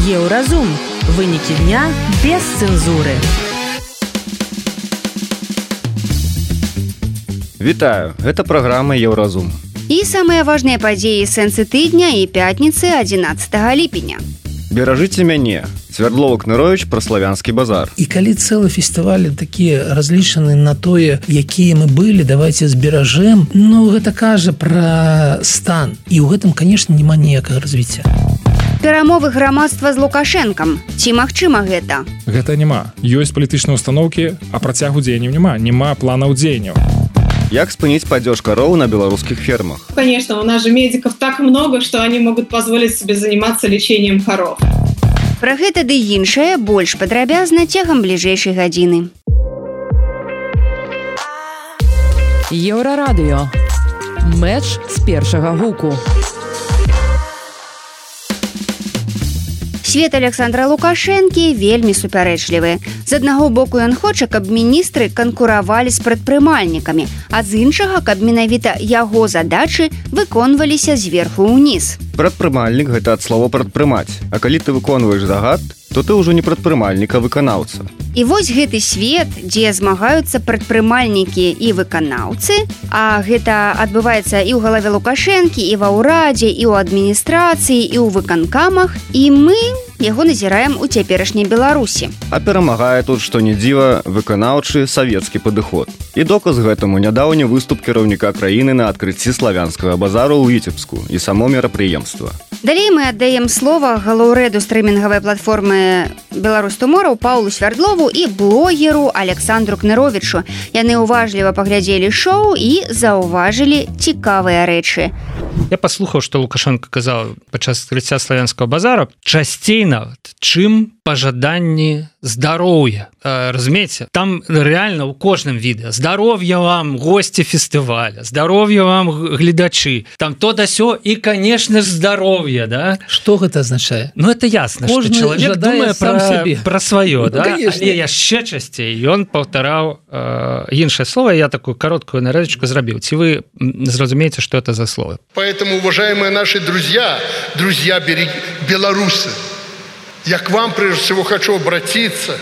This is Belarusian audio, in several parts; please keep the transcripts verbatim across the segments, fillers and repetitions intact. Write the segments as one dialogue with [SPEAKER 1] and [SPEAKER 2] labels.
[SPEAKER 1] Еўразум. Вынікі дня без цэнзуры.
[SPEAKER 2] Вітаю, гэта праграма Еўразум.
[SPEAKER 3] І самыя важныя падзеі сэнсы тыдня і пятніцы адзінаццатага ліпеня.
[SPEAKER 2] Беражыце мяне. Свярдлова Кныровіч пра славянскі базар.
[SPEAKER 4] І калі цэлы фестывалі такія разлічаны на тое, якія мы былі, давайте зберажэм, ну гэта кажа пра стан. І ў гэтым, канешне, няма ніякага развіцця.
[SPEAKER 3] Перамовы грамадства з Лукашэнкам. Ці магчыма гэта?
[SPEAKER 5] Гэта няма. Ёсць палітычныя установкі, а працягу дзеянняў няма. Няма планаў дзеянняў.
[SPEAKER 2] Як спыніць падзеж кароў на белорусских фермах?
[SPEAKER 6] Конечно, у нас же медиков так много, что они могут позволить себе заниматься лечением коров.
[SPEAKER 3] Пра гэта ды іншае больш падрабязна цягам бліжэйшай гадзіны.
[SPEAKER 1] Еўрарадыё. Мэч з першага гуку.
[SPEAKER 3] Свет Александра Лукашэнкі вельмі супярэчлівы. З аднаго боку ён хоча, каб міністры канкуравалі з прадпрымальнікамі, а з іншага, каб менавіта яго задачы выконваліся зверху ўніз.
[SPEAKER 2] Прадпрымальнік – гэта ад слова прадпрымаць. А калі ты выконваеш загад, то ты ўжо не прадпрымальнік, а выканаўца.
[SPEAKER 3] І вось гэты свет, дзе змагаюцца прадпрымальнікі і выканаўцы, а гэта адбываецца і ў галаве Лукашэнкі, і ва ўрадзе, і ў адміністрацыі, і ў выканкамах, і мы яго назіраем у цяперашняй Беларусі.
[SPEAKER 2] А перамагае тут, што не дзіва, выканаўчы савецкі падыход. І доказ гэтаму нядаўні выступ кіраўніка краіны на адкрыцці славянскага базару ў Віцебску і само мерапрыемства.
[SPEAKER 3] Далей мы аддаем слова галоўрэду стрымінгавай платформы «Беларусь Туморроу» Паўлу Свярдлову і блогеру Александру Кныровічу. Яны уважліва паглядзелі шоу і заўважылі цікавыя рэчы.
[SPEAKER 7] Я паслухаў, што Лукашенко казаў падчас адкрыцця славянскага базара часцей нават, чым пажаданні здароўя. Разумееце, там рэальна ў кожным відэа здароўя вам госці фестываля, здароўя вам гледачы, там то да сё і, канешне ж, здароўе, да?
[SPEAKER 4] Што гэта азначае?
[SPEAKER 7] Ну, это ясна, што чалавек думае пра, пра сваё, да? Ну, але яшчэ часцей ён паўтараў э, іншае слово, я такую кароткую нарэзачку зрабіў. Ці вы зразумееце, што это за слово?
[SPEAKER 8] Поэтому, уважаемые наши друзья, друзья белорусы, я к вам прежде всего хочу обратиться.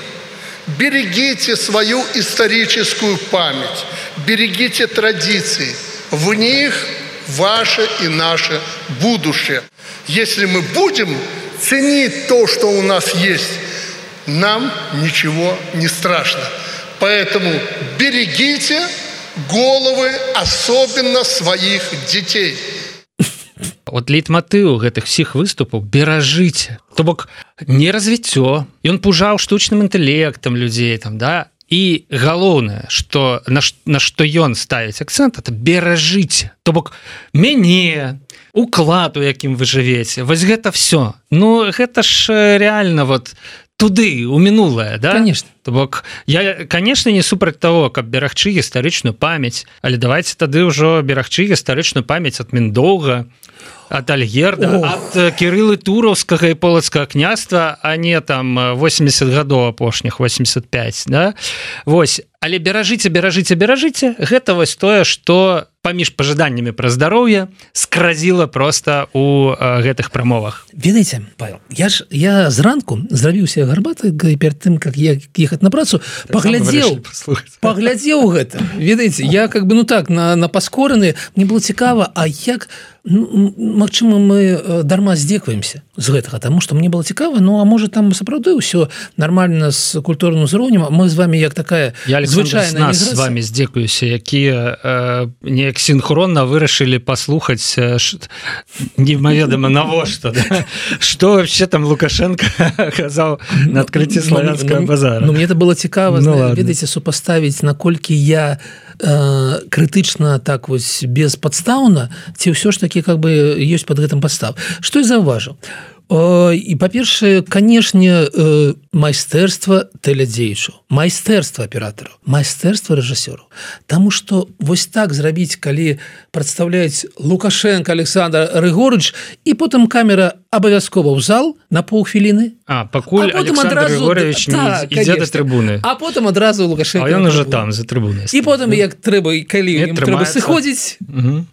[SPEAKER 8] Берегите свою историческую память, берегите традиции. В них ваше и наше будущее. Если мы будем ценить то, что у нас есть, нам ничего не страшно. Поэтому берегите головы, особенно своих детей.
[SPEAKER 7] От лейтматыў гэтых всіх выступаў беражыце. То бок не развіццё. Ён пужаў штучным інтэлектам людзей там, да? І галоўнае, што на, на што ён ставіць акцэнт, это беражыце. То бок мяне, уклад, у якім вы жывеце. Вось гэта все. Ну гэта ж реально вот туды, у мінулае, да?
[SPEAKER 4] Конечно.
[SPEAKER 7] То бок, я, конечно, не супраць того, каб берагчы гістарычную памяць, але давайте тады ўжо берагчы гістарычную памяць ад Міндоўга, ад Альгерда, Ох. ад Кірылы Тураўскага і Полацкага княства, а не там восемьдесят гадоў апошніх, восемьдесят пять, да? Вось, але беражыце, беражыце, беражыце, гэта вось тое, што паміж пажаданнямі пра здароўе скразіла проста у э, гэтых прамовах.
[SPEAKER 4] Ведаеце, Павел, я ж я зранку зрабіў себе гарбаты перед тым, как я ехаць на працу, паглядзеў, паглядзеў гэта. Ведаеце, я как бы, ну так, на, на паскораны, мне было цікава, а як, ну, магчыма, мы дарма здзекваемся з гэтага, таму што мне было цікава, ну, а можа там сапраўды ўсё нармальна з культурным узроўнем, мы з вами як такая
[SPEAKER 7] я, звычайная міграцыя. Я, Александр, з вами здзекуюся, якія э, неяк синхронно вырашылі паслухаць э, ш... немаведама навошта, да? Што вообще там Лукашенко казаў на адкрыцці славянскага
[SPEAKER 4] ну,
[SPEAKER 7] базара.
[SPEAKER 4] Ну, мне это было цікава,
[SPEAKER 7] ну,
[SPEAKER 4] ведаеце, супаставіць, наколькі я э, крытычна так вось беспадстаўна, ці ўсё ж таки как бы ёсць под гэтым падстав. Што я заўважыў? І, па-першае, канешне, майстэрства тэлядзеячаў, майстэрства аператараў, майстэрства рэжысёраў. Таму што вось так зрабіць, калі прадстаўляюць Лукашенко Александр Григорьевич, і потым камера абавязкова ў зал на паўхвіліны.
[SPEAKER 7] А, пакуль Александр адразу... Григорьевич не да, ідзе да трыбуны.
[SPEAKER 4] А потым адразу Лукашенко.
[SPEAKER 7] А ён уже там, за трыбунай.
[SPEAKER 4] І потым, як трэба, калі ім трэба сыходзіць... Угу.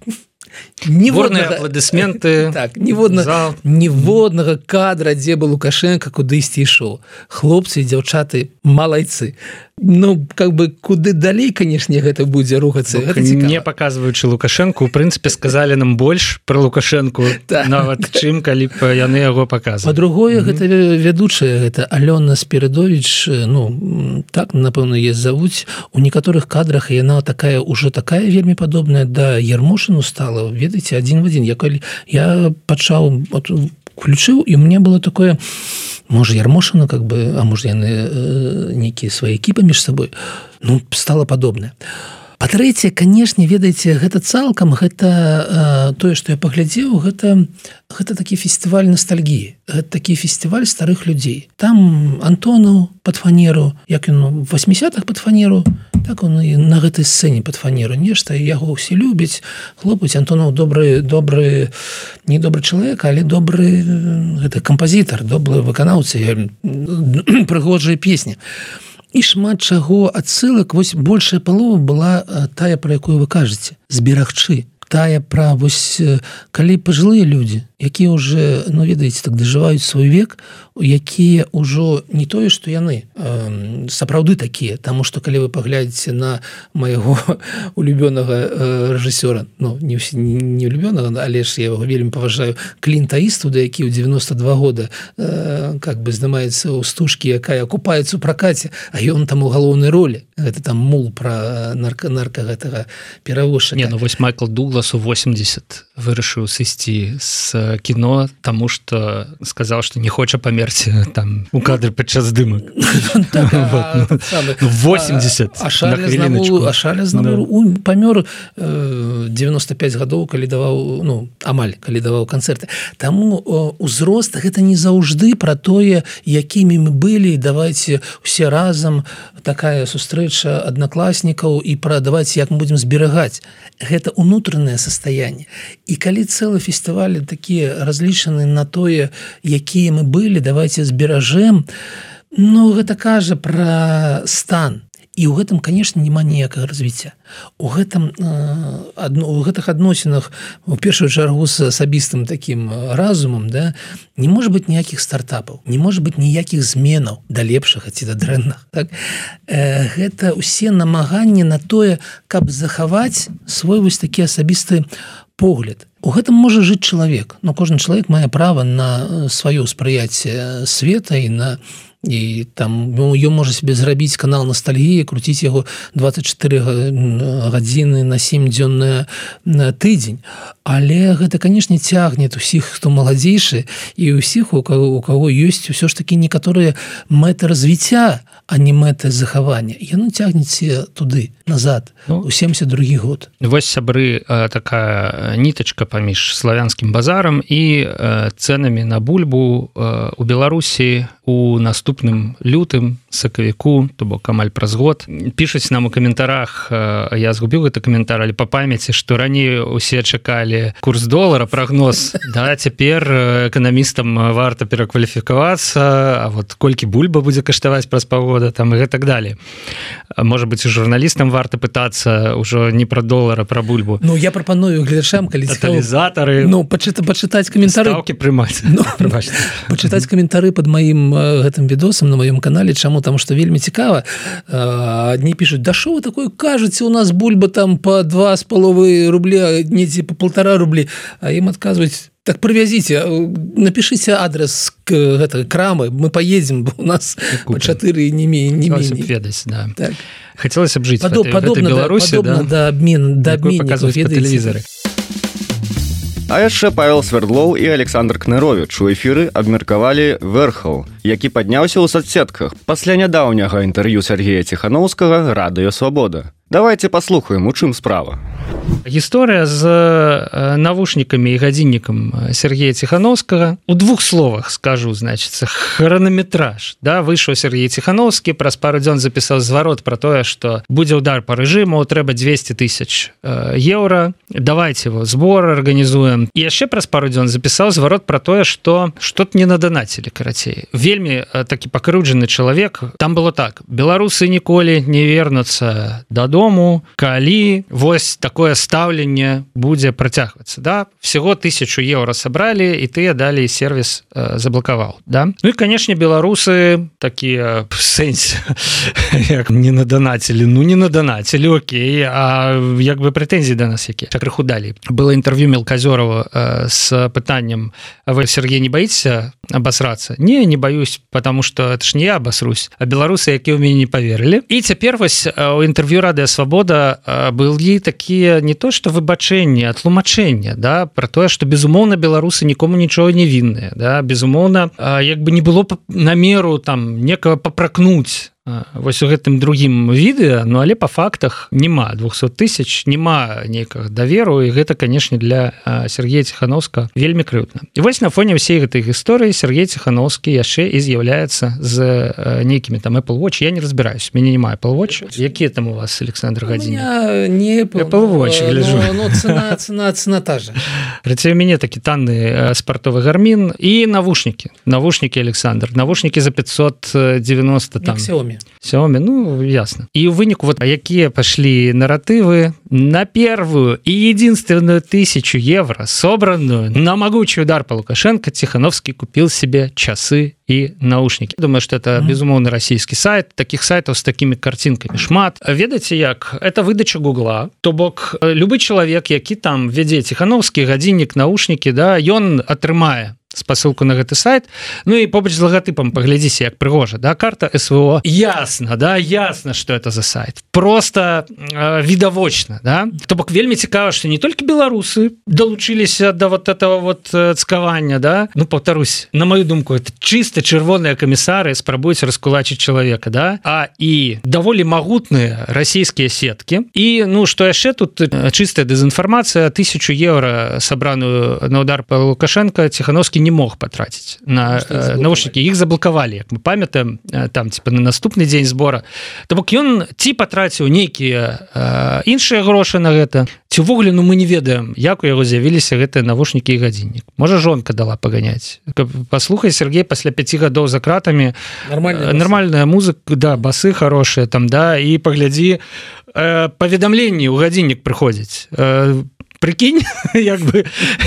[SPEAKER 7] Ніводнага... апладысменты
[SPEAKER 4] так, ніводнага, ніводнага кадра, дзе бы Лукашенко кудысьці ішоў. Хлопцы і дзяўчаты малайцы. Ну, как бы куды далей, канешне, гэта будзе рухацца. Гэта
[SPEAKER 7] не паказваючы Лукашенко, у прынцыпе, сказалі нам больш пра Лукашенко, нават чым, калі б яны яго паказвалі.
[SPEAKER 4] Па-другое, гэта вядучая, гэта Алёна Спірыдовіч, ну, так, напэўна, яе завуць. У некаторых кадрах яна такая, ужо такая вельмі падобная да Ярмошыну стала, ведаеце, адзін в адзін. Я, калі, я пачаў, включыў, і у меня было такое... Может, Ярмошина, как бы, а может, яны э, некие свои экипы между собой, ну, стало подобное. Па-трэцяе, канешне, ведаеце, гэта цалкам, гэта э, тое, што я паглядзеў, гэта, гэта такі фестываль ностальгіі, гэта такі фестываль старых людзей. Там Антонаў пад фанеру, як ён у восьмідзесятых пад фанеру, так он і на гэтай сцэне пад фанеру нешта, яго ўсе любяць, хлопаць. Антонаў добры, добры, не добры чалавек, але добры гэта кампазітар, добры выканаўца, прыгожая песня. І шмат чаго адсылак, вось большая палова была тая, пра якую вы кажаце, зберагчы. Тая пра, вось, калі пажылыя людзі, якія ўжо, ну, ведаеце, так дажываюць свой век, якія ўжо не тое, што яны э, сапраўды такія, таму што калі вы паглядзіце на майго улюбёнага э, рэжысёра, ну, не, не улюбёнага, але ж я яго вельмі паважаю, Клінта Іствуда, які ў дзевяноста два года э, как бы здымаецца ў стужкі, якая купаецца ў пракаце, а ён там у галоўнай ролі. Гэта там мул пра нарка, нарка гэтага перавозчыка.
[SPEAKER 7] Не, ну вось Майкл Дуглас у восемьдесят вырашыў сысці з кіно, таму што сказаў, што не хоча памерці там у кадры падчас здымак. восемьдесят
[SPEAKER 4] А Шарля Знамур памёр девяносто пять гадоў, калі даваў, ну, амаль, калі даваў канцэрты. Таму узрост гэта не заўжды пра тое, якімі мы былі, давайце усе разам, такая сустрэча аднакласнікаў і пра давайце, як мы будзем зберагаць. Гэта унутранае состояние. І калі цэлы фестывалі такія разлічаны на тое, якія мы былі, давайте зберажэм, ну, гэта кажа пра стан. І ў гэтым, конечно, няма ніякага развіцця. У гэтым, э, у гэтых адносінах, у першую чаргу з асабістым такім разумам, да, не можа быць ніякіх стартапаў, не можа быць ніякіх зменаў да лепшага ці да дрэннага. Так? Э, гэта ўсе намаганні на тое, каб захаваць свой вось такі асабісты погляд. У гэтым можа жыць чалавек, но кожны чалавек мае права на сваё ўспрыяцце света і на і там ён можа себе зрабіць канал ностальгіі, круціць яго двадцать четыре гадзіны на сем дзён на тыдзень. Але гэта, канешне, цягне усіх, хто маладзейшы, і ўсіх, у каго, у каго ёсць ўсё ж такі некаторыя мэты развіцця, а не мэты захавання. Яно цягнеце туды, назад, ну, у семьдесят другі год.
[SPEAKER 7] Вось, сябры, такая нітачка паміж славянскім базарам і цэнамі на бульбу у Беларусі у наступным лютым, сакавіку, то бок амаль праз год. Пішуць нам у каментарах, я згубіў гэты каментар, але па памяці, што раней усе чакалі курс долара, прагноз. Да, цяпер эканамістам варта перакваліфікавацца, а вот колькі бульба будзе каштаваць праз паўгода, там і гэтак далей. Можа быць, і журналістам варта пытацца ўжо не пра долара, пра бульбу.
[SPEAKER 4] Ну, я прапаную гледачам, калі
[SPEAKER 7] тоталізатары,
[SPEAKER 4] ну, пачыта, пачытаць каментары.
[SPEAKER 7] Стаўкі прымаць.
[SPEAKER 4] Ну, пачытаць каментары пад маім гэтым відосам на маём канале, чаму, там што вельмі цікава. Адні пішуць: да шо вы такое кажаце, у нас бульба там по два з паловай рубля, недзе по полтора рублі, а ім адказваюць: так привязите, напишите адрес к этой крамы, мы поедем, у нас по четыре не менее.
[SPEAKER 7] Ведать, да. Так. Хотелось бы жить Подоб, в, этой,
[SPEAKER 4] подобно,
[SPEAKER 7] в этой Беларуси,
[SPEAKER 4] подобно,
[SPEAKER 7] да?
[SPEAKER 4] до обмена, до обмена
[SPEAKER 7] показывать по телевизору.
[SPEAKER 2] А яшчэ Павел Свердлоў і Александр Кныровіч у эфіры абмеркавалі вэрхал, які падняўся ў соцсетках пасля нядаўняга інтэрв'ю Сергея Ціханаўскага «Радыё Свабода». Давайте паслухаем, у чым справа.
[SPEAKER 7] Гісторыя з навушнікамі і гадзіннікам Сергея Ціханаўскага. У двух словах скажу, значыцца, хранаметраж. Да, выйшаў Сергей Ціханаўскі, праз пару дзён запісаў зварот пра тое, што будзе ўдар па рэжыму, трэба двести тысяч еўра, давайте его збор арганізуем. І яшчэ праз пару дзён запісаў зварот пра тое, што што-то не надонацілі, карацей. Вельмі такі пакрыўджаны чалавек. Там было так: беларусы ніколі не вернуцца дадому, дому, калі вось такое стаўленне будзе працягвацца, да? Всего тысячу еўра сабралі, і тыя далей сервіс э, заблакаваў, да? Ну і, канешне, беларусы такія в сэнсе, як не надонацілі, ну не надонацілі, окей, а як бы прэтэнзіі да нас якія? Крыху далей. Было інтэрв'ю Мелказёрова э, с пытаннем: а вы, Сергей, не боитесь обосраться? Не, не боюсь, потому что это ж не я обосрусь, а беларусы, якія ў мяне не поверили. И теперь вось у интервью Радио Свобода были такие не то что выбачэнні, а тлумачэння, да, про тое, что безумоўна беларусы нікому нічого не вінныя, да, безумоўна, як бы не было намеру там некого попракнуть вось у гэтым другім відэа, ну але па фактах няма двухсот тысяч, няма нейкага даверу, і гэта, канешне, для Сергея Ціхановскага вельмі крыўдна. І вось на фоне ўсей гэтай гісторыі Сергей Ціхановскі яшчэ і з'яўляецца з нейкімі там Apple Watch. Я не разбіраюсь, мяне няма Apple Watch. Якія там у вас, Александр Гадзінік?
[SPEAKER 4] У меня не Apple,
[SPEAKER 7] Apple Watch, гляжу.
[SPEAKER 4] Но, но цена, цена, цена та же.
[SPEAKER 7] Працюе у мяне такі танны спартовы гармін і навушнікі. Навушнікі, Александр. Навушнікі за пятьсот девяносто там.
[SPEAKER 4] Як Xiaomi.
[SPEAKER 7] Xiaomi, ну, ясно. И у вынику вот якія пошли нарративы на первую и единственную тысячу евро, собранную на могучий удар по Лукашенко, Тихановский купил себе часы и наушники. Думаю, что это, безумовно, российский сайт. Таких сайтов с такими картинками шмат. Ведаеце як? Это выдача Гугла. То бок, любой человек, які там веде Тихановский, гадзіннік, наушники, да, ён атрымае спасылку на гэты сайт. Ну і побач з лагатыпам паглядзіся, як прыгожа, да, карта СВО. Ясно, да, ясно, что это за сайт. Просто э, відавочна, да. То бок вельмі цікава, што не толькі беларусы далучыліся да вот этого вот цкавання, да. Ну, повторюсь, на мою думку, это чисто чырвоныя камісары спрабуюць раскулачыць чалавека, да, а і даволі магутныя расійскія сеткі. І, ну, што яшчэ тут чыстая дэзінфармацыя, тысячу еўра сабраную на удар па Лукашенко Ціхановскі не мог потратить на э, наушники, их заблокавалі, як мы памятаем, там типа на наступны дзень збора. То бок ён ці патраціў нейкія э, іншыя грошы на гэта, ці ўвогуле, ну мы не ведаем, як у яго з'явіліся гэтыя навушнікі і гадзіннік. Можа, жонка дала паганяць. Паслухай, Сергей, пасля пяці гадоў за кратамі
[SPEAKER 4] нормальная,
[SPEAKER 7] нормальная музыка, да, басы хорошие там, да, і паглядзі, э, паведамленні ў гадзіннік прыходзіць. Э, Прикинь, як бы,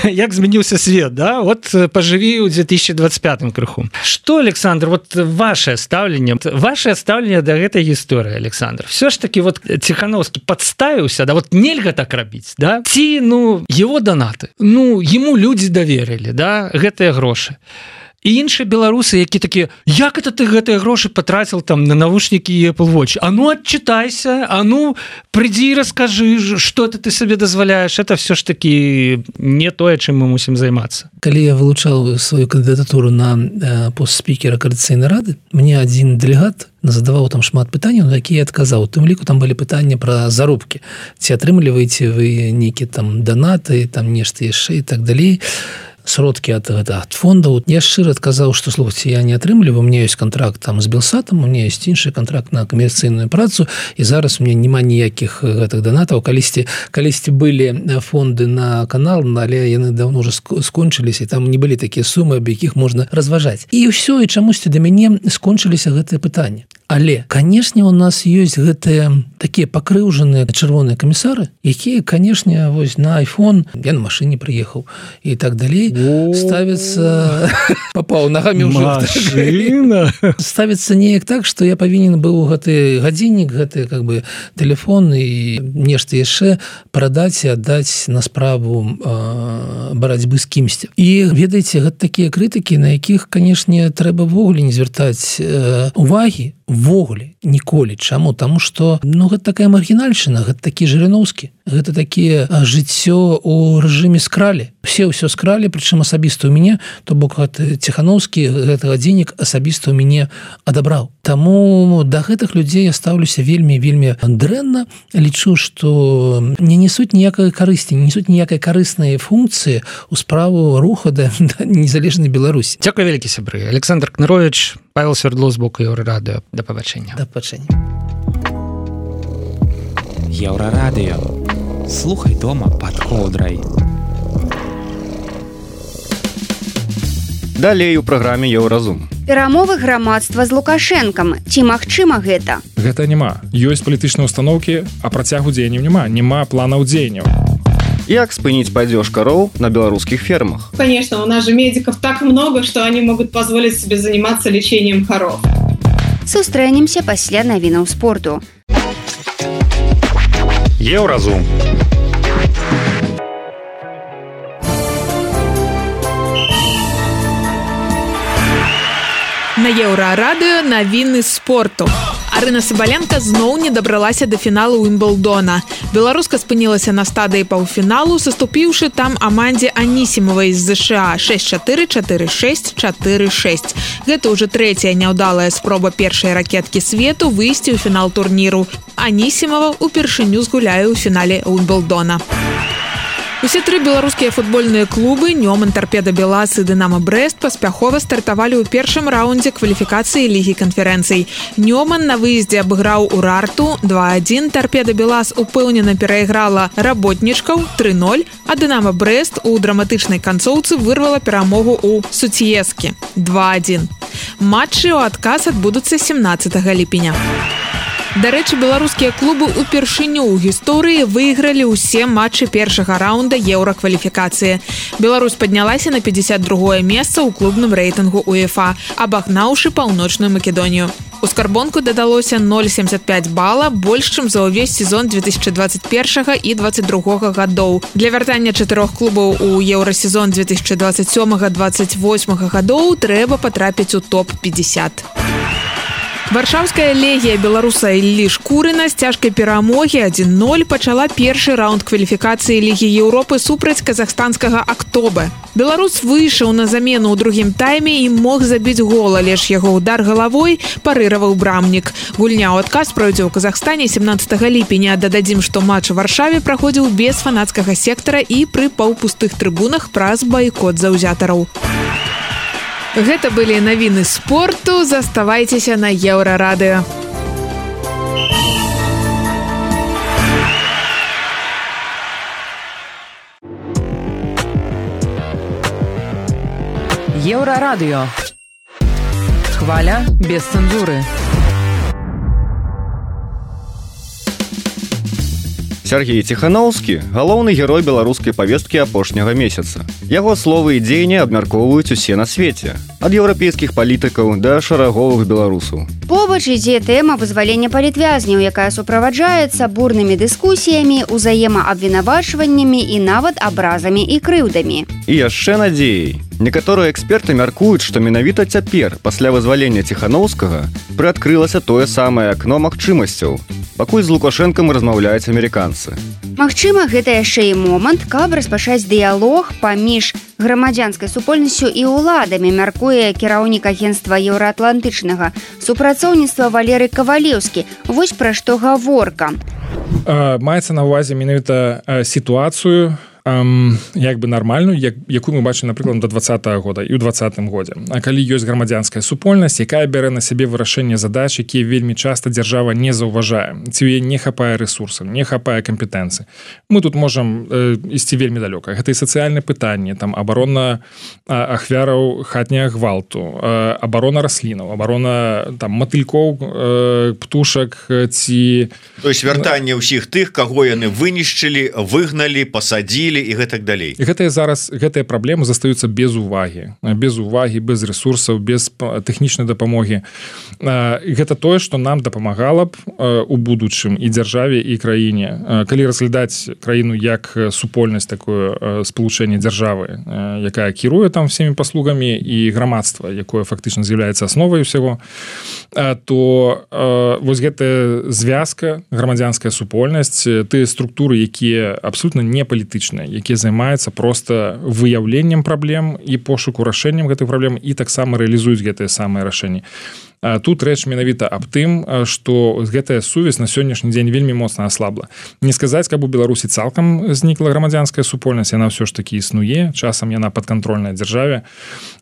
[SPEAKER 7] як змяніўся свет, да? Вот поживи ў две тысячи двадцать пятым крыху. Что, Александр, вот ваше ставленне, ваше ставленне да гэтай гісторыі, Александр, все ж таки вот Тихановский подставился, да, вот нельга так рабіць, да? Ці, ну, его донаты, ну, ему люди доверили, да, гэтыя грошы. І іншыя беларусы, які такія: як это ты гэтыя грошы потратил там на навушнікі і Apple Watch? А ну отчитайся, а ну прыйдзі і раскажы, что это ты сабе дазваляешь. Это все ж таки не тое, чым мы мусім займацца.
[SPEAKER 4] Калі я вылучаў сваю кандыдатуру на э, пост спікера Коордынацыйнай рады, мне адзін дэлегат задаваў там шмат пытанняў, на якія я адказаў. У тым ліку там былі пытанні пра заробкі. Ці атрымліваеце вы нейкія там данаты, там нешта яшчэ і так далей. Сродкі ад, ад фондаў. Я шчыра адказаў, што, слухайце, я не атрымліваю, у меня ёсць контракт там з Белсатам, у меня ёсць іншы контракт на камерцыйную працу, і зараз у меня няма ніякіх гэтых данатаў. Калісьці, калісьці былі фонды на канал, але яны давно уже скончыліся, і там не былі такія сумы, аб якіх можна разважаць. І ўсё, і чамусьці да мяне скончыліся гэтыя пытанні. Але, канешне, у нас ёсць гэтыя такія пакрыўжаныя чырвоныя камісары, якія, канешне, вось на iPhone, я на машыне прыехаў і так далей, ставится попал ногами уже
[SPEAKER 7] машина
[SPEAKER 4] ставится неяк так, что я павінен быў гэты гадзіннік, гэты как бы телефон і нешта яшчэ прадаць і аддаць на справу э, барацьбы з кімсьці. І ведаеце, гэта такія крытыкі, на якіх, канешне, трэба ввогуле не звяртаць э, увагі ввогуле ніколі. Чаму? Таму што, ну, гэта такая маргінальшчына, гэта такі Жырыноўскі, гэта такія жыццё у рэжыме скралі. Все ўсё скралі, прычым асабіста ў мяне, то бок Ціхановскі гэты гадзіннік асабіста ў мяне адабраў. Таму да гэтых людзей я стаўлюся вельмі вельмі дрэнна, лічу, што не несуць ніякай карысці, не несуць ніякай карыснай функцыі ў справу руха да, да незалежнай Беларусі.
[SPEAKER 7] Дзякуй вялікі, сябры. Александр Кнырович, Павел Свердлов з боку Еўрарадыё. Да пабачэння.
[SPEAKER 4] Да пабачэння.
[SPEAKER 9] Еўрарадыё. Слухай дома пад коўдрай.
[SPEAKER 2] Далей у праграме Еўразум.
[SPEAKER 3] Перамовы грамадства з Лукашэнкам. Ці магчыма гэта?
[SPEAKER 5] Гэта няма. Ёсць палітычныя установкі, а працягу дзеянняў няма. Няма планаў дзеянняў.
[SPEAKER 2] Як спыніць падзеж кароў на беларускіх фермах?
[SPEAKER 6] Конечно, у нас же медиков так много, что они могут позволить себе заниматься лечением коров.
[SPEAKER 3] Сустрэнемся пасля навінаў спорту.
[SPEAKER 10] Еўразум.
[SPEAKER 11] На Еўрарадыё навіны спорту. Арына Сабаленка зноў не дабралася да фіналу Уімблдона. Беларуска спынілася на стадыі паўфіналу, саступіўшы там амандзе Анісімавай з ЗША шэсць чатыры, чатыры шэсць, чатыры шэсць. Гэта ўжо трэцяя няўдалая спроба першай ракеткі свету выйсці ў фінал турніру. Анісімава ўпершыню згуляе ў фінале Уімблдона. Усе тры беларускія футбольныя клубы Нёман, Торпеда Белас і Дынамо Брэст паспяхова стартавалі ў першым раўндзе кваліфікацыі Лігі канферэнцый. Нёман на выездзе абыграў Урарту два адзін, Торпеда Белас упэўнена перайграла работнічкаў тры ноль, а Дынамо Брэст у драматычнай канцоўцы вырвала перамогу ў Суцьескі два адзін. Матчы ў адказ адбудуцца семнаццатага ліпеня. Дарэчы, беларускія клубы ўпершыню ў гісторыі выйгралі ўсе матчы першага раўнда еўракваліфікацыі. Беларусь паднялася на пятьдесят другое месца ў клубным рэйтынгу УЕФА, абагнаўшы Паўночную Македонію. У скарбонку дадалося ноль семьдесят пять бала, больш, чым за ўвесь сезон две тысячи двадцать первого і двадцать другого гадоў. Для вяртання чатырох клубаў у еўрасезон две тысячи двадцать сёмага - двадцать восьмага гадоў трэба патрапіць у топ пятьдесят. Варшаўская легія беларуса Іллі Шкурына з цяжкай перамогі адзін ноль пачала першы раунд кваліфікацыі Лігі Еўропы супраць казахстанскага Актобе. Беларус выйшаў на замену ў другім тайме і мог забіць гол, але ж яго удар галавой парыраваў брамнік. Гульня ў адказ пройдзе ў Казахстане семнаццатага ліпеня. Дададзім, што матч у Варшаве праходзіў без фанацкага сектара і пры паўпустых трыбунах праз байкот заўзятараў. Гэта былі навіны спорту. Заставайцеся на Еўрарадыё.
[SPEAKER 1] Еўрарадыё. Хваля без цэнзуры.
[SPEAKER 2] Сергей Ціханаўскі – галоўны герой беларускай павесткі апошняга месяца. Яго словы і дзеянні абмяркоўваюць усе на свеце. Ад еўрапейскіх палітыкаў да шараговых беларусаў.
[SPEAKER 3] Побач ідзе тэма вызвалення палітвязняў, якая суправаджаецца бурнымі дыскусіямі, узаемаабвінавачваннямі і нават абразамі і крыўдамі.
[SPEAKER 2] І яшчэ надзеяй. Некаторыя эксперты мяркуюць, што менавіта цяпер, пасля вызвалення Ціханаўскага, прыадкрылася тое самае акно магчымасцяў, пакуль з Лукашэнкам размаўляюць амерыканцы.
[SPEAKER 3] Магчыма, гэта яшчэ і момант, каб распачаць дыялог паміж грамадзянскай супольнасцю і ўладамі, мяркуе кіраўнік агенцтва еўраатлантычнага супрацоўніцтва Валерый Кавалеўскі. Вось пра што гаворка.
[SPEAKER 5] Маецца на ўвазе менавіта сітуацыю, Um, як бы нармальную, як, якую мы бачым, напрыклад, до двадцатага года і ў двадцатым годзе. А калі ёсць грамадзянская супольнасць, якая бярэ на сябе вырашэнне задач, якія вельмі часта дзяржава не заўважае, ці ў яе не хапае ресурсаў, не хапае кампетэнцыі. Мы тут можам э, ісці вельмі далёка. Гэта і сацыяльнае пытанне, там абарона а, ахвяраў хатняга гвалту, а, абарона раслінаў, абарона там матылькоў, э, птушак ці...
[SPEAKER 12] То есть вяртанне ўсіх тых, каго яны вынішчылі, выгналі, пасадзілі і гэтак далей.
[SPEAKER 5] І гэтыя зараз гэтыя праблемы застаюцца без увагі, без увагі, без ресурсаў, без тэхнічнай дапамогі. Гэта тое, што нам дапамагала б у будучым і дзяржаве, і краіне. Калі разглядаць краіну як супольнасць, такое спалучэнне дзяржавы, якая кіруе там всеми паслугамі, і грамадства, якое фактычна з'яўляецца асновай усяго, то вось гэтая звязка, грамадзянская супольнасць, тыя структуры, якія абсолютна не палітычныя, якія займаюцца проста выяўленнем праблем і пошуку рашэннем гэтых праблем і таксама рэалізуюць гэтыя самыя рашэнні. тут рэч менавіта аб тым, што гэтая сувязь на сённяшні дзень вельмі моцна аслабла. Не сказаць, каб у Беларусі цалкам знікла грамадзянская супольнасць, яна ўсё ж такі існуе, часам яна падкантрольная дзяржаве,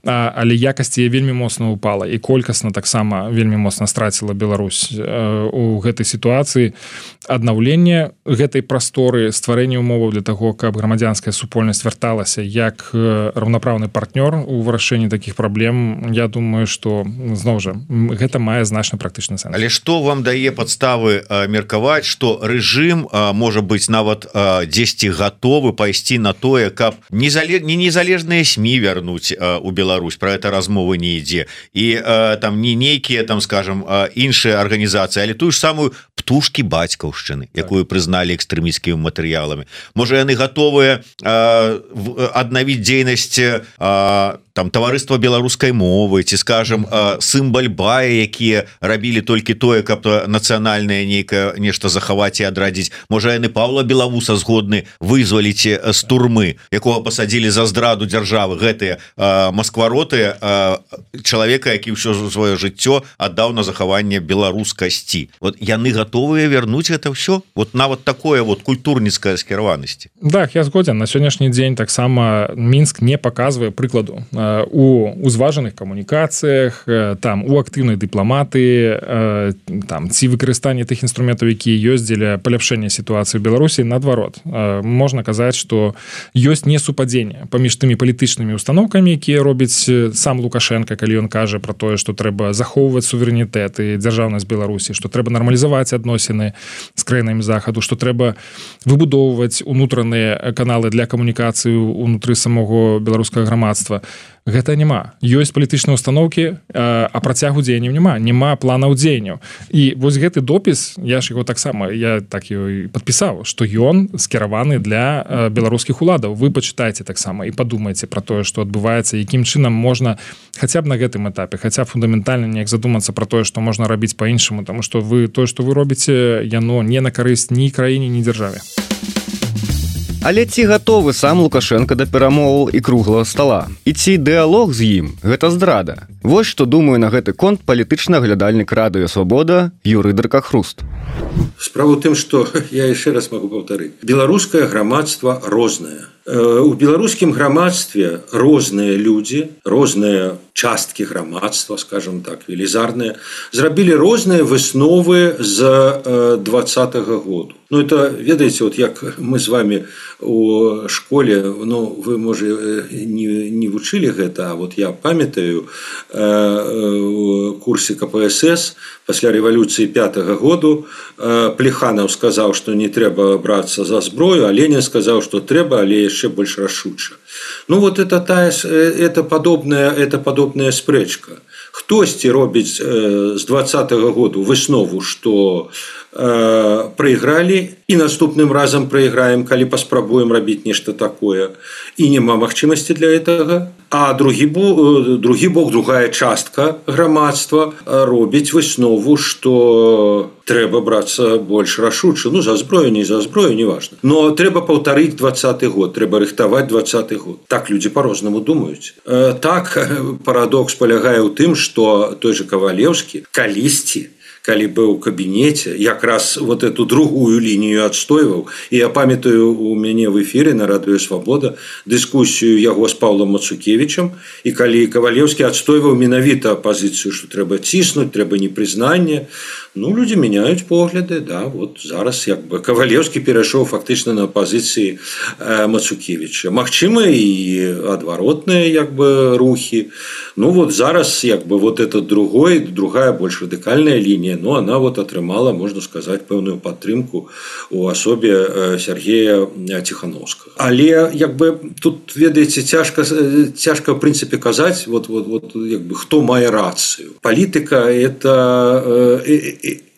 [SPEAKER 5] але якасць яе вельмі моцна упала і колькасна таксама вельмі моцна страціла Беларусь у гэтай сітуацыі. Аднаўленне гэтай прасторы, стварэнне умоваў для таго, каб грамадзянская супольнасць вярталася як раўнапраўны партнёр у вырашэнні такіх праблем, я думаю, што зноў жа гэта мае значна практычны сэнс.
[SPEAKER 12] Але што вам дае падставы меркаваць, што рэжым можа быць нават дзесьці гатовы пайсці на тое, каб не незалежныя СМІ вярнуць у Беларусь, пра гэта размовы не ідзе, і там не нейкія там, скажем, іншыя арганізацыі, але тую ж самую птушкі бацькаўшчыны, якую прызналі экстрэмісцкімі матэрыяламі. Можа, яны гатовыя аднавіць дзейнасць там таварыства беларускай мовы, ці скажем сімбаль бая, якія рабілі толькі тое, каб нацыянальнае нейкае нешта захаваць і адрадзіць. Можа, яны Паўла Белавуса згодны вызваліць з турмы, якога пасадзілі за здраду дзяржавы, гэтыя масквароты чалавека, які ўсё сваё жыццё аддаў на захаванне беларускасці. Вот яны гатовыя вярнуць гэта ўсё? Вот нават такое вот культурніцкая скіраванасці.
[SPEAKER 5] Так, я згодзен. На сённяшні дзень таксама Мінск не паказвае прыкладу у узважаных камунікацыях, там у актыўнай дыпламатыі, там ці выкарыстанне тых інструментаў, якія ёсць дзеля паляпшэння сітуацыі ў Беларусі. Наадварот, можна казаць, што ёсць несупадзенне паміж тымі палітычнымі установкамі, якія робіць сам Лукашенко, калі ён кажа пра тое, што трэба захоўваць суверэнітэт і дзяржаўнасць Беларусі, што трэба нармалізаваць адносіны з краінамі захаду, што трэба выбудоўваць унутраныя каналы для камунікацыі ўнутры самого беларускага грамадства. Гэта няма. Ёсць палітычныя установкі, а працягу дзеянняў няма, няма планаў дзеянняў. І вось гэты допіс, я ж яго таксама, я так і падпісаў, што ён скіраваны для беларускіх уладаў. Вы пачытайце таксама і падумайце пра тое, што адбываецца, якім чынам можна хаця б на гэтым этапе, хаця фундаментальна неяк задумацца пра тое, што можна рабіць па-іншаму, таму што вы тое, што вы робіце, яно не на карысць ні краіне, ні дзяржаве.
[SPEAKER 2] Але ці гатовы сам Лукашенко да перамоваў і круглага стала? І ці дыялог з ім – гэта здрада? Вось што думаю на гэты конт палітычны аглядальнік радыё «Свабода» Юрый Дракахруст.
[SPEAKER 10] Справа ў тым, што я яшчэ раз магу паўтарыць. Беларускае грамадства рознае. У беларускім грамадстве розныя людзі, розныя часткі грамадства, скажем так, велізарныя, зрабілі розныя высновы з двадцатага году. Ну, это, ведаеце, вот як мы з вами у школе, ну, вы, можа, не, не вучылі гэта, а вот я памятаю у курсе ка пэ эс эс пасля рэвалюцыі пятага году Плеханаў сказаў, што не трэба брацца за зброю, а Ленін сказаў, што трэба, але яшчэ больш рашуча. Ну, вот это, тая, это, подобная, это подобная спрэчка. Хтосьці робіць з двадцатага году выснову, што э, прайгралі і наступным разам прайграем, калі паспрабуем рабіць нешта такое, і няма магчымасці для гэтага. А другі бок, другі бок, другая частка грамадства робіць выснову, што трэба брацца больш рашуча. Ну, за зброю, не за зброю, не важна. Но трэба паўтарыць двадцаты год, трэба рыхтаваць двадцаты год. Так людзі по-рознаму думаюць. Э, так, парадокс палягае ў тым, што той же Кавалеўскі калісьці, калі быў у кабінеце, якраз вот эту другую лінію адстойваў. І я памятаю, у мяне в эфіры на радыё «Свабода» дыскусію яго з Паўлам Мацукевічам, і калі Кавалеўскі адстойваў менавіта пазіцыю, што трэба ціснуць, трэба непрызнанне. Ну, людзі мяняюць погляды, да, вот зараз як бы Кавалеўскі перайшоў фактычна на пазіцыі э, Мацукевіча. Магчыма, і адваротныя як бы рухі. Ну, вот зараз як бы вот это другой, другая больш радыкальная лінія, но она вот атрымала, можна сказаць, пэўную падтрымку у асобе Сергея Ціхановскага. Але як бы тут, ведаеце, цяжка, цяжка в прынцыпе казаць, вот, вот, вот, як бы, хто мае рацыю. Палітыка – это,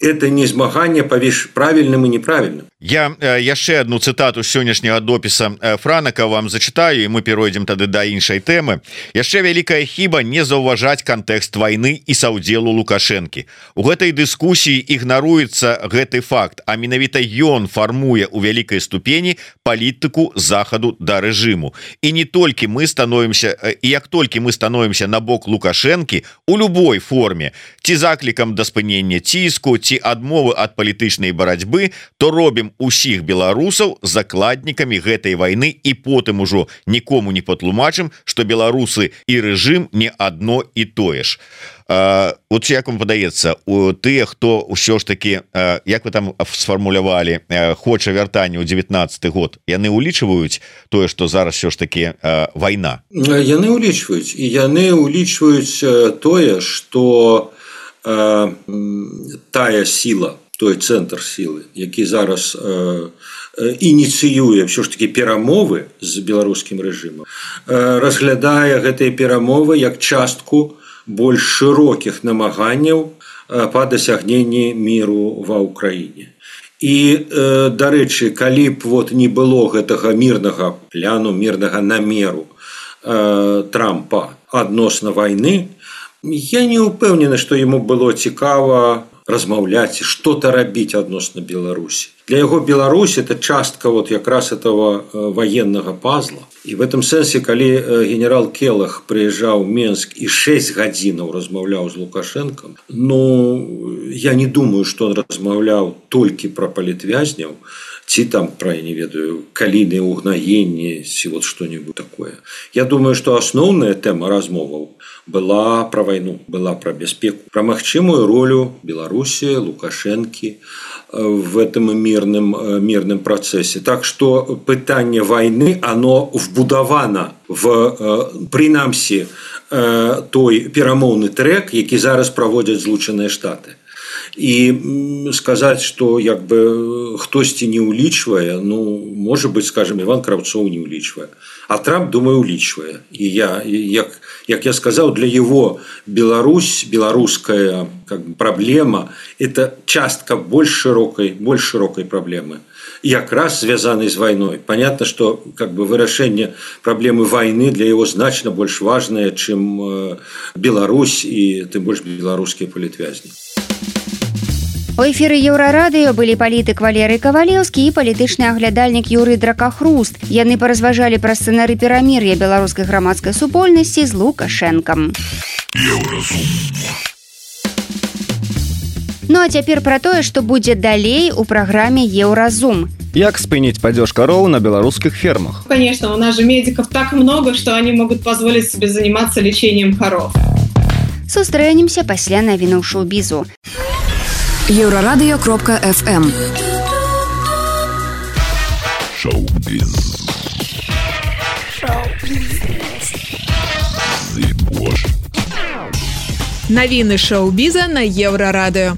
[SPEAKER 10] это не змаганне паміж правільным і неправільным.
[SPEAKER 12] Я яшчэ одну цытату сённяшняга допіса Франака вам зачытаю, і мы перайдзем тады да іншай тэмы. Яшчэ вялікая хіба не заўважаць кантэкст вайны і саўдзелу Лукашэнкі. У гэтай дыскусіі ігнаруецца гэты факт, а менавіта ён фармуе ў вялікай ступені палітыку захаду да рэжыму. І не толькі мы становімся, і як толькі мы становімся на бок Лукашэнкі у любой форме, ці заклікам да спынення ціску, ці адмовы ад палітычнай барацьбы, то робім усіх беларусаў закладнікамі гэтай вайны і потым ужо нікому не патлумачым, што беларусы і рэжым не адно і тое ж. Uh, от як вам падаецца, у тыя, хто ўсё ж такі, uh, як вы там сфармулявалі, uh, хоча вяртання ў дзевятнаццаты год, яны ўлічваюць тое, што зараз ўсё ж такі uh, вайна?
[SPEAKER 10] Яны ўлічваюць, і яны ўлічваюць uh, тое, што uh, тая сіла, той цэнтр сілы, які зараз uh, ініцыюе ўсё ж такі перамовы з беларускім рэжымам, uh, разглядае гэтыя перамовы як частку больш шырокіх намаганняў па дасягненні міру ва ўкраіне. І, дарэчы, калі б вот не было гэтага мірнага пляну, мірнага намеру Трампа адносна вайны, я не ўпэўнены, што яму было цікава размаўляць, што-то рабіць адносна Беларусі. Для яго Беларусь это частка вот якраз этого военного пазла. И в этом сенсе, калі генерал Келах приезжал в Минск и шесть гадзінаў размаўляў з Лукашенком, ну, я не думаю, что он размаўляў толькі про палітвязняў, ці там про, я не ведаю, калійныя угнаенні, ці вот что-нибудь такое. Я думаю, что основная тема размоваў была про войну, была про бяспеку, про магчымую ролю Беларуси, Лукашенки в этом мирном, мирном процессе. Так что пытанне войны, оно вбудовано в, принамсі, той перамоўны трек, які зараз проводят Злучаныя Штаты. И сказать, что як бы хтосьці не улічвае, ну, может быть, скажем, Иван Кравцов не улічвае. А Трамп, думаю, улічвае. И я, як, як я сказал, для его Беларусь, белорусская как бы, проблема – это частка больш широкой, больш широкой проблемы. Як раз связанной с войной. Понятно, что как бы, вырашэнне проблемы войны для его значно больш важное, чем Беларусь и тем больше белорусские палітвязні.
[SPEAKER 3] У эфіры Еўрарадыё былі палітык Валерый Кавалеўскі і палітычны аглядальнік Юрый Дракахруст. Яны паразважалі пра сцэнары перамір'я беларускай грамадскай супольнасці з Лукашэнкам. Ну а цяпер пра тое, што будзе далей у праграме Еўразум.
[SPEAKER 2] Як спыніць падзеж кароў на беларускіх фермах?
[SPEAKER 6] Конечно, у нас же медиков так много, что они могут позволить себе заниматься лечением коров.
[SPEAKER 3] Сустрэнемся пасля навінаў шоу-бізу.
[SPEAKER 1] Еўрарадыё кропка эф эм. Шоу-біз.
[SPEAKER 11] Навіны шоу-біза на Еўрарадыё.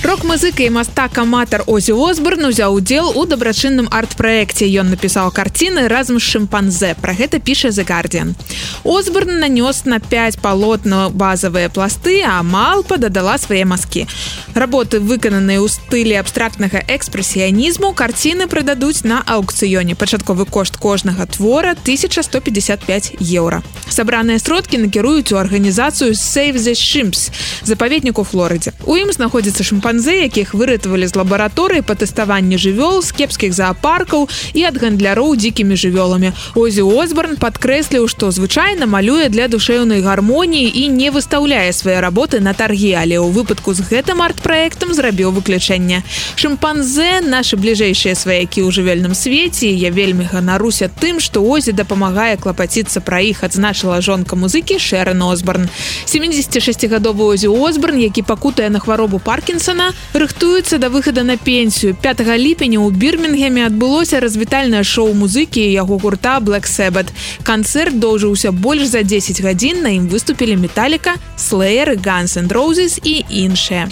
[SPEAKER 11] Рок-музыка і мастак-аматар Озі Осборн узяў удзел у дабрачынным арт-праекце. Ён напісаў карціны разам з шымпанзэ. Пра гэта піша The Guardian. Осборн нанёс на пяць палотна базавыя пласты, а Малпа дадала свае мазкі. Работы, выкананыя ў стылі абстрактнага экспрэсіянізму, карціны прададуць на аўкцыёне. Пачатковы кошт кожнага твора тысяча сто пятьдесят пять еўра. Сабраныя сродкі накіруюць у арганізацыю Save the Chimps, запаведнік у Флорыдзе. У ім знаходзіцца шымпанзэ, якіх выратавалі з лабараторыі па тэставанні жывёл, з кепскіх заапаркаў і ад гандляроў дзікімі жывёламі. Озі Осборн падкрэсліў, што звычайна малюе для душэўнай гармоніі і не выстаўляе свае работы на таргі, але ў выпадку з гэтым арт-праектам зрабіў выключэнне. Шымпанзэ – нашы бліжэйшыя сваякі ў жывёльным свеце, і я вельмі ганаруся тым, што Озі дапамагае клапаціцца пра іх, адзначыла жонка музыкі Шэрон Осборн. сямідзесятшасцігадовы Озі Осборн, які пакутае на хваробу Паркінсона, рыхтуецца да выхада на пенсію. пятага ліпеня ў Бірмінгеме адбылося развітальнае шоу музыкі яго гурта Black Sabbath. Канцэрт доўжыўся больш за дзесяць гадзін, на ім выступілі Металіка, Slayer, Guns and Roses і іншыя.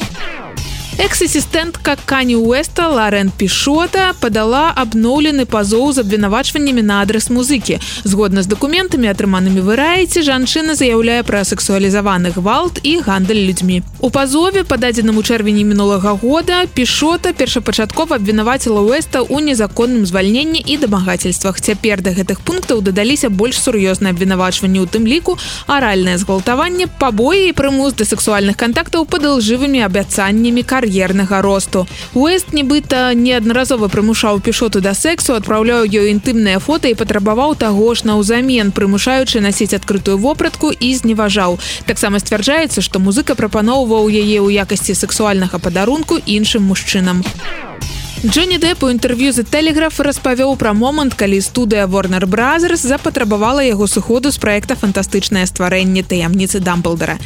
[SPEAKER 11] Экс-ассистентка Кані Уэста Лорен Пішота падала абноўлены пазоў з абвінавачваннямі на адрес музыкі. Згодна з дакументамі, атрыманымі Variety, жанчына заяўляе пра сексуалізаваны гвалт і гандаль людзьмі. У пазове, пададзеным у чэрвені мінулага года, Пішота першапачаткова абвінаваціла Уэста ў незаконным звальненні і дамагацельствах. Цяпер да гэтых пунктаў дадаліся больш сур'ёзныя абвінавачванні, у тым ліку аральнае згвалтаванне, пабоі і прымус да сексуальных кантактаў пад ілжывымі абяцаннямі кар'ернага росту. Уэст нібыта неаднаразова прымушаў Пішоту да сексу, адпраўляў ёй інтымныя фота і патрабаваў таго ж наўзамен, прымушаючы насіць адкрытую вопратку і зневажаў. Таксама сцвярджаецца, што музыка прапаноўваў яе ў якасці сексуальнага падарунку іншым мужчынам. Джонні Депп у інтэрв'ю The Telegraph распавёў пра момант, калі студыя Warner Brothers запатрабавала яго сыходу з праекта «Фантастычнае стварэнне таямніцы Дамблдара».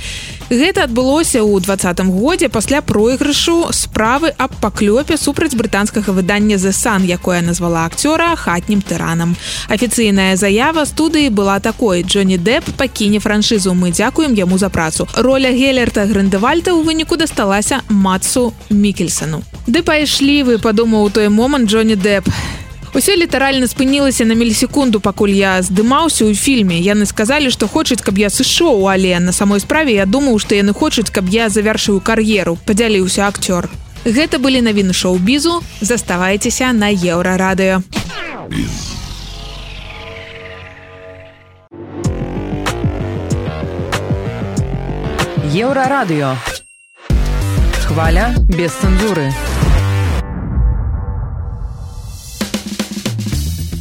[SPEAKER 11] Гэта адбылося ў двадцатым годзе пасля пройгрышу справы аб паклёпе супраць брытанскага выдання The Sun, якое назвала акцёра хатнім тыранам. Афіцыйная заява студыі была такой: Джонні Депп пакіне франшызу, мы дзякуем яму за працу. Роля Гелерта Грындевальта ў выніку дасталася Матсу Мікельсону. Ды пайшлі вы, падумаў у той момант Джонні Депп. Усё літаральна спынілася на мілісекунду, пакуль я здымаўся ў фільме. Яны сказалі, што хочуць, каб я сышоў, але на самой справе я думаў, што яны хочуць, каб я завяршыў кар'еру, падзяліўся акцёр. Гэта былі навіны шоу-бізу. Заставайцеся на Еўрарадыё.
[SPEAKER 1] Еўрарадыё. Хваля без цэнзуры.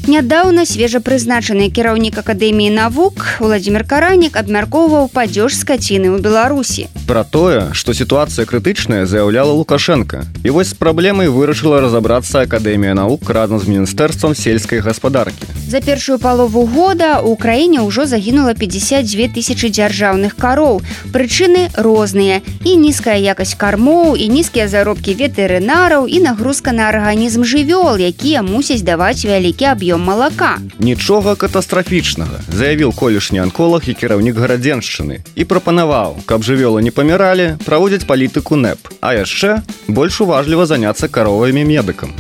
[SPEAKER 3] Нядаўна свежапрызначаны кіраўнік Акадэміі навук Владзімір Каранік абмяркоўваў падзеж скаціны ў Беларусі.
[SPEAKER 2] Пра тое, што сітуацыя крытычная, заяўляла Лукашенка. І вось з праблемай вырашыла разабрацца Акадэмія навук разам з Міністэрствам сельскай гаспадаркі.
[SPEAKER 3] За першую палову года ў краіне ўжо загінула пятьдесят две тысячи дзяржаўных кароў. Прычыны розныя. І нізкая якасць кармоў, і нізкія заробкі ветэрынараў, і нагрузка на арганізм жывёл, якія мусяць даваць вялікі аб'ём малака.
[SPEAKER 2] Нічога катастрафічнага, заявіў колішні анколог і кіраўнік Гарадзеншчыны і прапанаваў, каб жывёлы не паміралі, праводзіць палітыку НЭП, а яшчэ больш уважліва заняцца каровамі медыкам.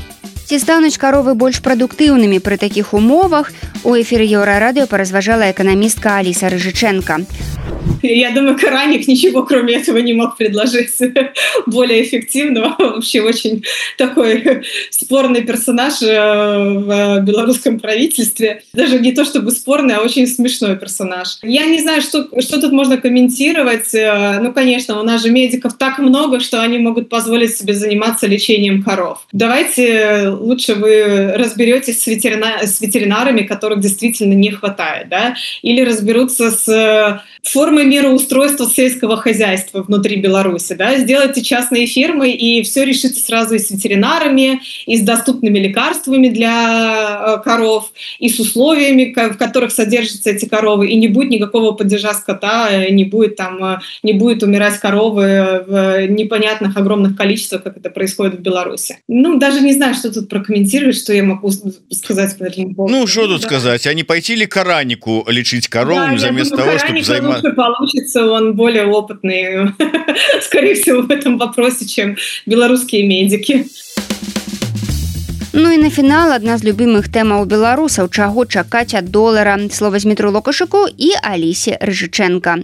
[SPEAKER 3] Ці стануць каровы больш прадуктыўнымі пры такіх умовах, у эфіры Еўрарадыё паразважала эканамістка Аліса Рыжыченко.
[SPEAKER 6] Я думаю, Караник ничего кроме этого не мог предложить более эффективного. Вообще очень такой спорный персонаж в белорусском правительстве. Даже не то чтобы спорный, а очень смешной персонаж. Я не знаю, что, что тут можно комментировать. Ну, конечно, у нас же медиков так много, что они могут позволить себе заниматься лечением коров. Давайте лучше вы разберетесь с, ветерина... с ветеринарами, которых действительно не хватает, да? Или разберутся с формой мироустройства сельского хозяйства внутри Беларуси, да, сделайте частные фермы, и все решится сразу и с ветеринарами, и с доступными лекарствами для коров, и с условиями, в которых содержатся эти коровы, и не будет никакого падежа скота, не будет там, не будет умирать коровы в непонятных огромных количествах, как это происходит в Беларуси. Ну, даже не знаю, что тут прокомментировать, что я могу сказать по этому поводу.
[SPEAKER 12] Ну, что тут да. сказать, а не пойти ли Каранику лечить корову да, вместо того, чтобы заниматься...
[SPEAKER 6] получится, он более опытный, скорее всего, в этом вопросе, чем белорусские медики.
[SPEAKER 3] Ну і на фінал адна з любімых тэмаў беларусаў, чаго чакаць ад долара. Слова з Дмітру Лукашуку і Алісе Рыжыченко.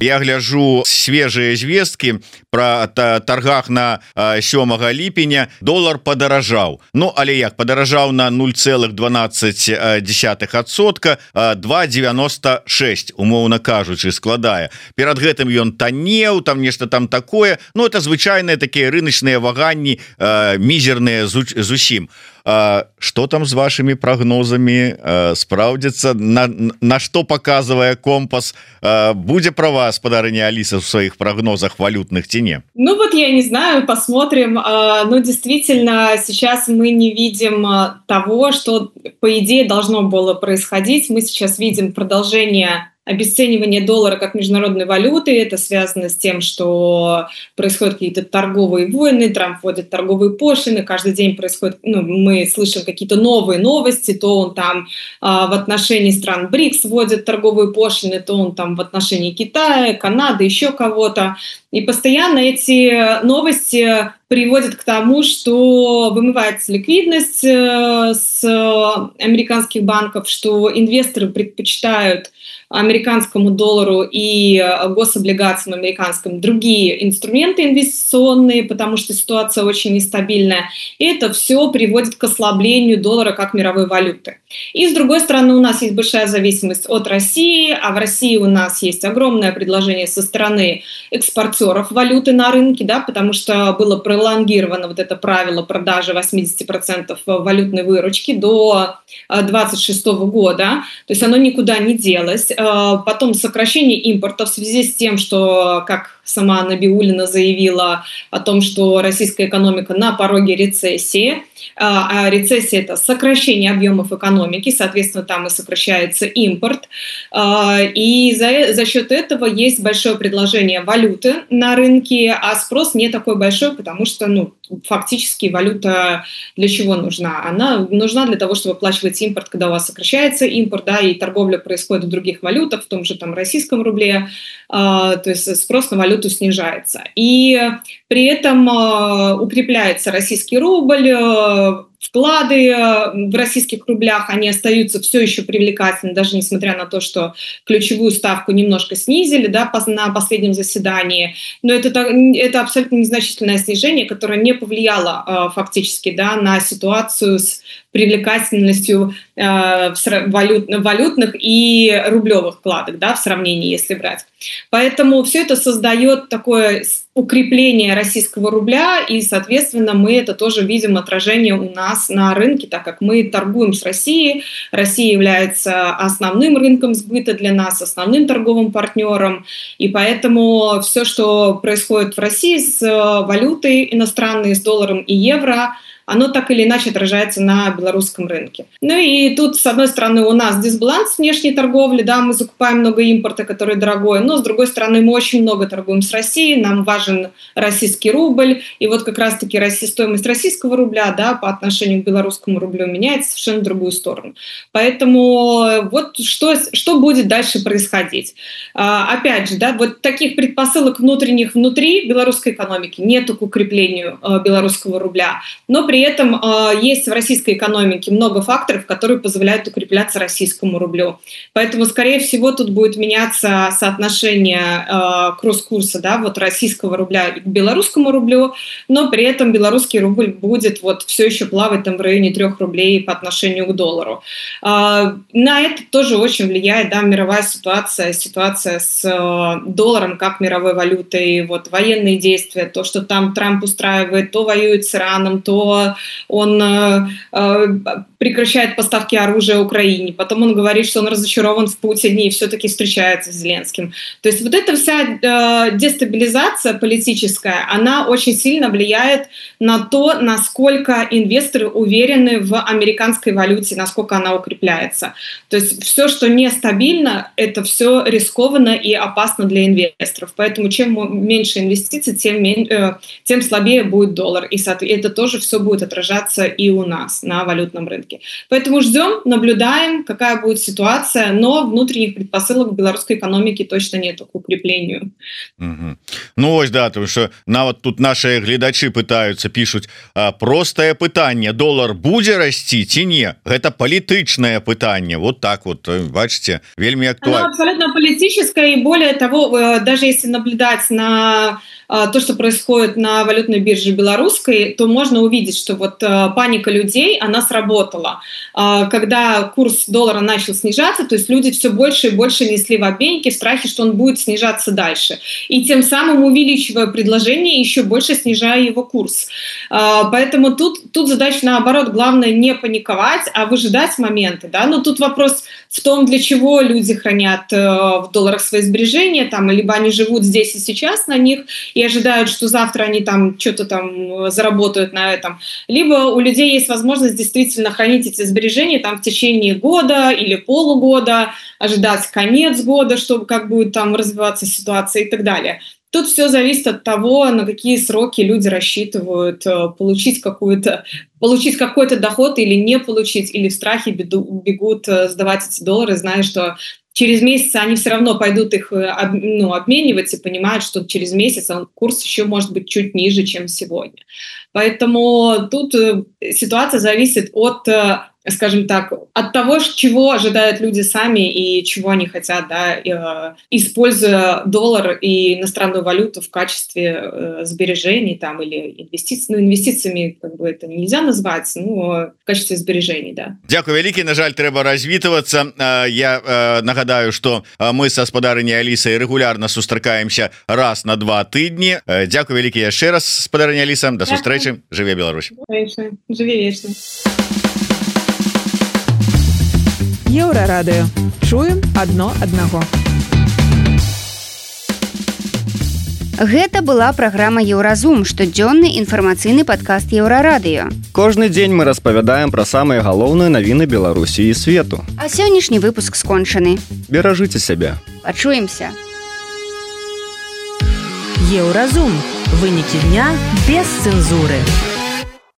[SPEAKER 12] Я гляжу свежие звесткі про торгах на сёмага ліпеня. Долар падаражаў. Ну, але як падаражаў на нуль целых дванаццаць десятых адсотка, два девяносто шесть, умоўна кажучы, складае. Перад гэтым ён таннеў, там нешта там такое. Ну, это звычайныя такія рыначныя ваганні, мізерныя зусім. Что там с вашими прогнозами спраўдзіцца, на, на что показывая компас, будзе про вас, спадарыня Алиса, в своих прогнозах валютных ці не?
[SPEAKER 6] Ну вот я не знаю, посмотрим. Но действительно сейчас мы не видим того, что по идее должно было происходить. Мы сейчас видим продолжение обесценивание доллара как международной валюты. Это связано с тем, что происходят какие-то торговые войны, Трамп вводит торговые пошлины, каждый день происходит, ну, мы слышим какие-то новые новости, то он там а, в отношении стран БРИКС вводит торговые пошлины, то он там в отношении Китая, Канады, еще кого-то. И постоянно эти новости приводит к тому, что вымывается ликвидность с американских банков, что инвесторы предпочитают американскому доллару и гособлигациям американским другие инструменты инвестиционные, потому что ситуация очень нестабильная. И это все приводит к ослаблению доллара как мировой валюты. И с другой стороны, у нас есть большая зависимость от России, а в России у нас есть огромное предложение со стороны экспортеров валюты на рынке, да, потому что было пролонгировано вот это правило продажи восемьдесят процентов валютной выручки до двадцать шестого года, то есть оно никуда не делось. Потом сокращение импорта в связи с тем, что, как сама Набиуллина заявила о том, что российская экономика на пороге рецессии, а рецессия – это сокращение объемов экономики, соответственно, там и сокращается импорт, и за, за счет этого есть большое предложение валюты на рынке, а спрос не такой большой, потому что, ну, фактически валюта для чего нужна? Она нужна для того, чтобы оплачивать импорт, когда у вас сокращается импорт, да, и торговля происходит в других валютах, в том же там российском рубле, то есть спрос на валюту снижается. И при этом укрепляется российский рубль, вклады в российских рублях, они остаются все еще привлекательны, даже несмотря на то, что ключевую ставку немножко снизили, да, на последнем заседании. Но это, это абсолютно незначительное снижение, которое не повлияло фактически, да, на ситуацию с привлекательностью э, валют, валютных и рублевых вкладок, да, в сравнении, если брать. Поэтому все это создает такое укрепление российского рубля, и, соответственно, мы это тоже видим отражение у нас на рынке, так как мы торгуем с Россией. Россия является основным рынком сбыта для нас, основным торговым партнером, и поэтому все, что происходит в России с валютой иностранной, с долларом и евро, оно так или иначе отражается на белорусском рынке. Ну и тут, с одной стороны, у нас дисбаланс внешней торговли, да, мы закупаем много импорта, который дорогой, но, с другой стороны, мы очень много торгуем с Россией, нам важен российский рубль, и вот как раз-таки стоимость российского рубля, да, по отношению к белорусскому рублю меняется совершенно в другую сторону. Поэтому вот что, что будет дальше происходить. А, опять же, да, вот таких предпосылок внутренних внутри белорусской экономики нету к укреплению а, белорусского рубля, но при При этом э, есть в российской экономике много факторов, которые позволяют укрепляться российскому рублю. Поэтому, скорее всего, тут будет меняться соотношение э, кросс-курса, да, вот российского рубля к белорусскому рублю, но при этом белорусский рубль будет вот все еще плавать там в районе трех рублей по отношению к доллару. Э, на это тоже очень влияет, да, мировая ситуация, ситуация с э, долларом как мировой валютой, вот военные действия, то, что там Трамп устраивает, то воюет с Ираном, то он э, э, прекращает поставки оружия Украине, потом он говорит, что он разочарован в Путине и все-таки встречается с Зеленским. То есть вот эта вся э, дестабилизация политическая, она очень сильно влияет на то, насколько инвесторы уверены в американской валюте, насколько она укрепляется. То есть все, что нестабильно, это все рискованно и опасно для инвесторов. Поэтому чем меньше инвестиций, тем, э, тем слабее будет доллар. И это тоже все будет отражаться и у нас на валютном рынке. Поэтому ждем, наблюдаем, какая будет ситуация, но внутренних предпосылок белорусской экономики точно нету к укреплению.
[SPEAKER 12] Угу. Ну ось да, потому что нават тут наши гледачи пытаются, пишут, простое пытанне, доллар будзе расці ці не? Гэта палітычнае пытанне. Вот так вот, бачите, вельмі актуально.
[SPEAKER 6] Оно абсолютно политическое, и более того, даже если наблюдать на то, что происходит на валютной бирже белорусской, то можно увидеть, что вот паника людей, она сработала. Когда курс доллара начал снижаться, то есть люди все больше и больше несли в обменнике в страхе, что он будет снижаться дальше. И тем самым, увеличивая предложение, еще больше снижая его курс. Поэтому тут, тут задача наоборот, главное не паниковать, а выжидать моменты. Да? Но тут вопрос в том, для чего люди хранят в долларах свои сбережения, там, либо они живут здесь и сейчас на них, и ожидают, что завтра они там что-то там заработают на этом. Либо у людей есть возможность действительно хранить эти сбережения там в течение года или полугода, ожидать конец года, чтобы как будет там развиваться ситуация и так далее. Тут все зависит от того, на какие сроки люди рассчитывают получить какую-то, получить какой-то доход или не получить, или в страхе бегут сдавать эти доллары, зная, что через месяц они все равно пойдут их ну, обменивать и понимают, что через месяц он, курс еще может быть чуть ниже, чем сегодня. Поэтому тут ситуация зависит от, скажем так, от того, чего ожидают люди сами и чего они хотят, да, используя доллар и иностранную валюту в качестве сбережений там, или инвестиций. Ну, инвестициями как бы это нельзя назвать, но в качестве сбережений, да.
[SPEAKER 12] Дякую вялікі, на жаль, трэба развітвацца. Я нагадаю, што мы са спадарыняй Алісай рэгулярна сустракаемся раз на два тыдні. Дякую вялікі яшчэ раз, спадарыня Аліса. Да сустрэчы. Жыве Беларусь.
[SPEAKER 6] Жыве вечна.
[SPEAKER 11] Еўрарадыё. Чуем адно аднаго.
[SPEAKER 3] Гэта была праграма Еўразум, штодзённы інфармацыйны падкаст Еўрарадыё.
[SPEAKER 2] Кожны дзень мы распавядаем пра самыя галоўныя навіны Беларусі і свету.
[SPEAKER 3] А сённяшні выпуск скончаны.
[SPEAKER 2] Беражыце сябе.
[SPEAKER 3] Пачуемся.
[SPEAKER 1] Еўразум. Вынікі дня без цэнзуры.